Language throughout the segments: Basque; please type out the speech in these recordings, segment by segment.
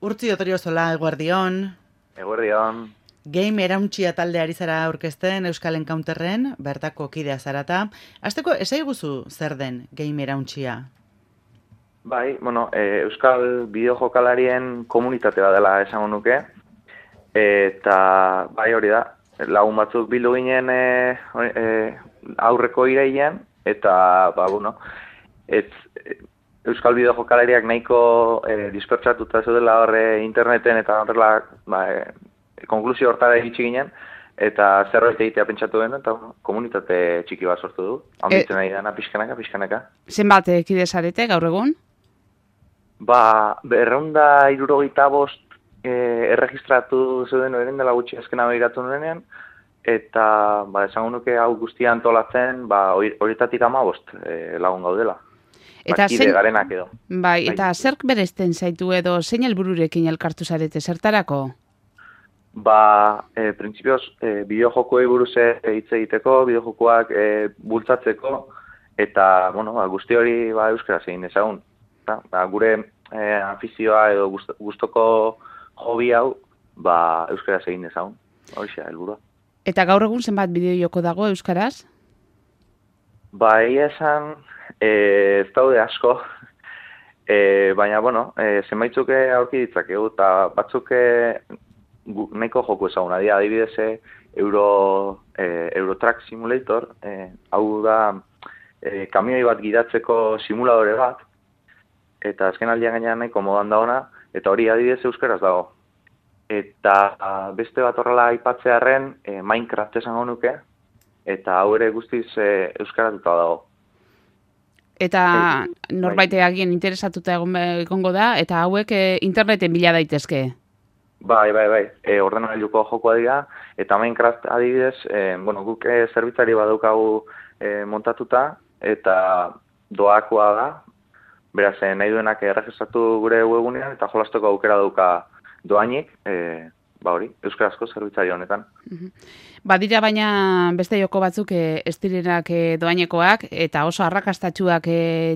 Urtzi Otoriozola, eguerdion. Eguerdion. Game Erauntxia talde ari zara aurkezten Euskal Encounterren, bertako kidea zarata. Hasteko, esaiguzu zer den Game Erauntxia? Bai, Euskal bideojokalarien komunitate bat dela esango nuke. Eta bai hori da, lagun batzuk bildu ginen aurreko irailean, eta Euskal bideojokalariak nahiko dispertsatuta zeudela horre interneten eta horrela konklusio hortara iritsi ginen, eta zerbait egitea pentsatu den, eta komunitate txiki bat sortu du. Handitzen ari dana pixkanaka. Zenbat kide zarete gaur egun? Berreunda 75 erregistratu zeuden horren dela gutxi azkena begiratu nuenean, eta esango nuke hau guztia antolatzen, horietatik 15 lagun gaudela. Eta kide garenak edo. Bai, eta zerk beresten zaitu edo zein helbururekin elkartu zarete zertarako? Printzipioz, bideojokoei buruz hitz egiteko, bideojokoak bultzatzeko, eta, guzti hori euskaraz egin dezagun. Gure afizioa edo gustoko hobi hau, euskaraz egin dezagun. Horixe, helburua. Eta gaur egun zenbat bideojoko dago euskaraz? Egia esan, ez daude asko, baina, zenbaitzuk aurki ditzakegu, eta batzuk nahiko joko ezaguna dira, adibidez Eurotrack Simulator, hau da kamioi bat gidatzeko simuladore bat, eta azken aldian gainean nahiko modan dagoena, eta hori adibidez euskaraz dago. Eta beste bat horrela aipatzearren Minecraft esango nuke, eta hau ere guztiz euskaratuta dago. Eta norbait agien interesatuta egongo da, eta hauek interneten bila daitezke? Bai. Ordenagailuko jokoa dira, eta Minecraft adibidez, guk zerbitzari badaukagu montatuta, eta doakoa da, beraz, nahi duenak erregistratu gure webgunean, eta jolasteko aukera dauka doainik, euskarazko zerbitzari honetan. Badira baina beste joko batzuk ez direnak doainekoak, eta oso arrakastatsuak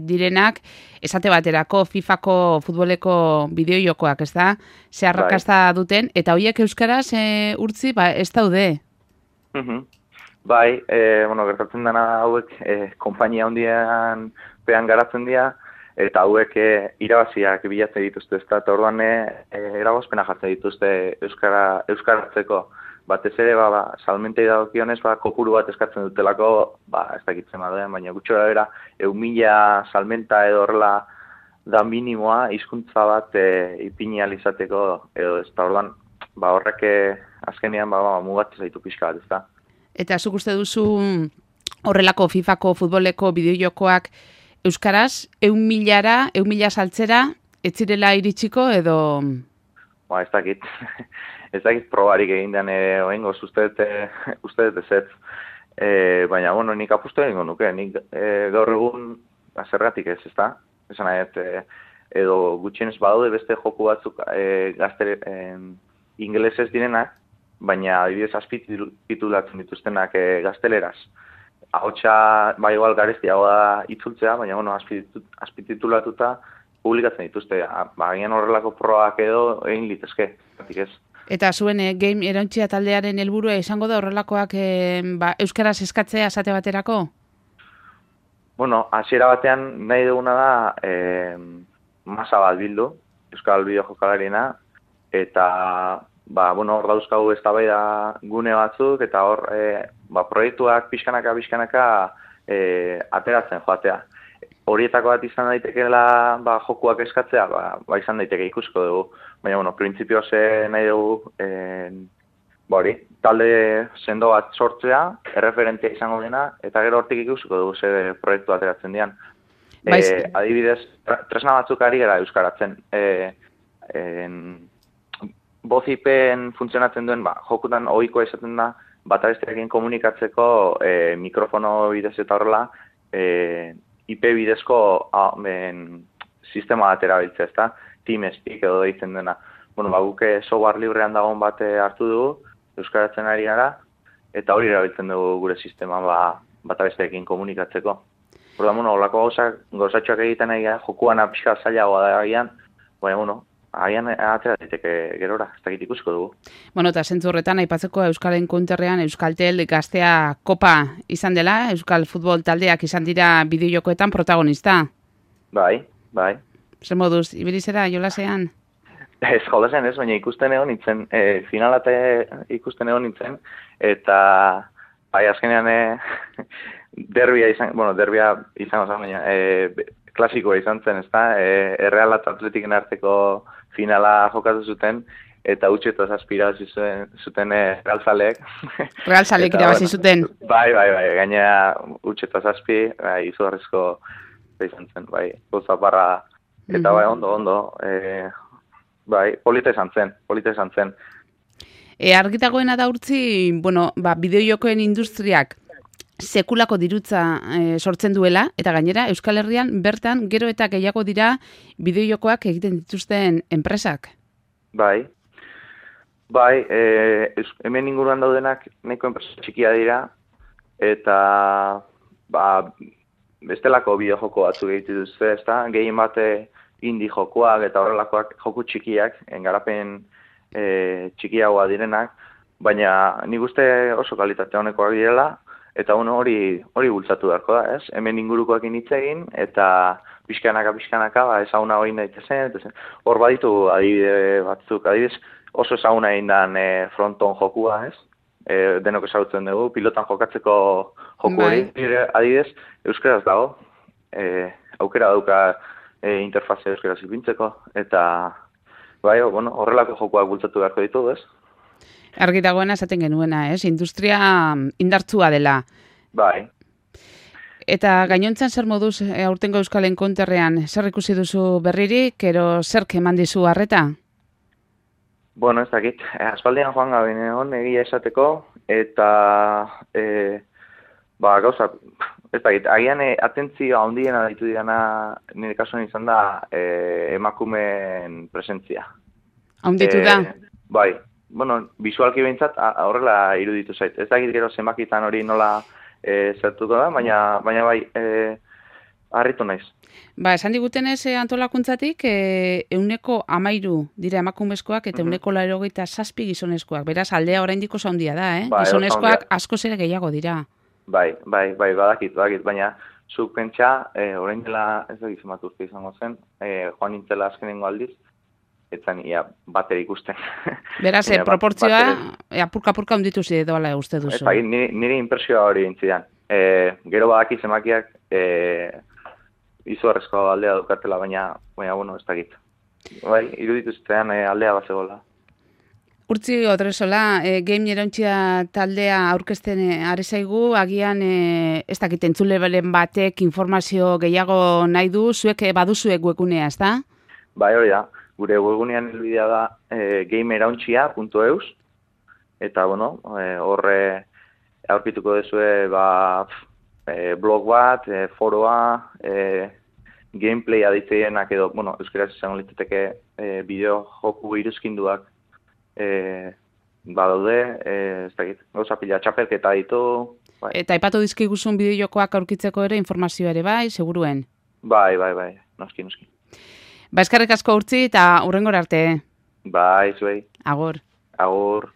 direnak, esate baterako FIFako futboleko bideojokoak, ez da? Ze arrakasta duten, eta horiek euskaraz urtzi, ez daude? Gertatzen dena hauek konpainia handian pean garatzen dira, eta hauek irabaziak bilatzen dituzte, eta orduan eragozpena jartzen dituzte euskaratzeko. Batez ere, salmentei dagokionez, kopuru bat eskatzen dutelako, ez dakitzen baden, baina gutxora bera, 1.000 salmenta edo horrela da minimoa, hizkuntza bat ipini alizateko, edo ez da orduan, horrek azkenean mugatzen zaitu pixka bat, ez da. Eta zuk uste duzu horrelako FIFako futboleko bideojokoak euskaraz, 1.000 saltzera, ez zirela iritsiko edo... Ez dakit. Ez dakit probarik egin den oengoz, uste dut ez. Baina, nik apustu egingo nuke. Nik gaur egun zergatik ez da. Esan nahi, edo gutxienez badaude beste joku batzuk ingelesez direnak, baina adibidez azpititulatzen dituztenak gazteleraz. Ahotsa igual garestiago da itzultzea, baina azpititulatuta publikatzen dituzte. Baina horrelako probak edo egin litezke. Ez. Eta zuen Game Erauntxia taldearen helburua izango da horrelakoak euskaraz eskatzea esate baterako? Hasiera batean nahi duguna da masa bat bildu, Euskal bideojokalariena, eta hor dauzkagu eztabaida gune batzuk, eta hor proiektuak pixkanaka ateratzen joatea. Horietako bat izan daitekeela jokuak eskatzea, izan daiteke ikusko dugu. Baina, printzipioz nahi dugu talde sendo bat sortzea, erreferentea izango dena, eta gero hortik ikusko dugu ze proiektu ateratzen dian. Adibidez, tresna batzuk ari gara euskaratzen. Vozipen funtzionatzen duen, jokutan ohikoa izaten da, batabesteekin komunikatzeko mikrofono bidez eta horrela, IP bidezko sistema bat erabiltzea, ezta? TeamSpeak edo deitzen dena. Guk software librean dagoen bat hartu dugu, euskaratzen ari gara, eta hori erabiltzen dugu gure sistema batabesteekin komunikatzeko. Horlako gauzatxoak egiten ari gara, jokuan pixka zailagoa da egian, baina, agian atera daiteke gerora, ez dakit ikusiko dugu. Bueno, eta zentzu horretan aipatzeko Euskal Encounterrean Euskaltel Gaztea Kopa izan dela, Euskal Futbol taldeak izan dira bideojokoetan protagonista. Bai. Zer moduz, ibilizera jolasean? Ez jolasean ez, baina ikusten egon nintzen, finalate ikusten egon nintzen, eta bai, azkenean derbia izango zen, baina klasikoa izan zen, ezta? Erreal eta Atletiken arteko finala jokatu zuten, eta utxetoz aspirazi zuten Realzaleek. Realzaleek irabazi zuten. Bai, gainera utxetoz aspi, izugarrizko izan zen, bai, gozaparra, eta bai, ondo, bai, polita izan zen. Argitagoena da urtzi, bideojokoen industriak sekulako dirutza sortzen duela, eta gainera Euskal Herrian bertan gero eta gehiago dira bideojokoak egiten dituzten enpresak. Bai, hemen inguruan daudenak nahiko enpresa txikia dira, eta bestelako bideojoko batzuk egiten dituzte, ezta? Gehien bate indie jokoak eta horrelakoak joku txikiak, garapen txikiagoa direnak, baina nik uste oso kalitate honekoak direla, eta hori bultzatu beharko da, ez? Hemen ingurukoekin hitz egin, eta pixkanaka, ezaguna hori daitezen, hor baditu adibide batzuk, adibidez oso ezaguna egin dan fronton jokua, ez? Denok ezagutzen dugu, pilotan jokatzeko joku hori, adibidez, euskaraz dago, aukera dauka interfazea euskaraz ipintzeko, eta horrelako jokuak bultzatu beharko ditugu, ez? Argi dagoena esaten genuena, ez? Industria indartsua dela. Bai. Eta gainontzan zer moduz aurtengo Euskal Encounterrean, zer ikusi duzu berririk, ero zerk eman dizu harreta? Ez dakit, aspaldian joan gabe egon egia esateko, eta gauza, ez dakit, agian atentzioa handiena ditu dirana nire kasuan izan da emakumeen presentzia. Haunditu da? Bai, visualki behintzat horrela iruditu zait. Ez dakit gero zenbakitan hori nola zertuko da, baina bai, harritu naiz. Esan digutenez antolakuntzatik 13% dira emakumezkoak eta 87% gizonezkoak. Beraz, aldea oraindik oso handia da, Gizonezkoak askoz ere gehiago dira. Bai, badakit, baina zuk pentsa, orain dela ez da gizemat urte izango zen, joan nintzela azkenengo aldiz, etzan ia batera ikusten. Beraz, proportzioa apurka hunditu zidoala uste duzu. Nire impresioa hori intzidan. Gero badaki zemakiak izugarrezko aldea dukatela, baina ez dakit. Bai, iruditu zitean aldea bazegoela. Urtzi Odresola, Game Irauntzia taldea aurkezten ari zaigu, agian ez dakit entzulebelen batek informazio gehiago nahi du, zuek baduzuek webgunea, ez da? Bai, hori da. Gure webgunean helbidea da gameirauntzia.eus, eta horre aurkituko duzue blog bat, foroa, gameplay aditzeienak edo, euskaraz izango litzateke bideo joku iruzkinduak badaude, ez dakit, gauza pila txapelketa ditu. Bai. Eta aipatu dizkiguzun bideojokoak aurkitzeko ere informazioa ere bai, seguruen? Bai, noski. Eskerrik asko Urtzi eta hurrengora arte. Bai, zuei. Agur. Agur.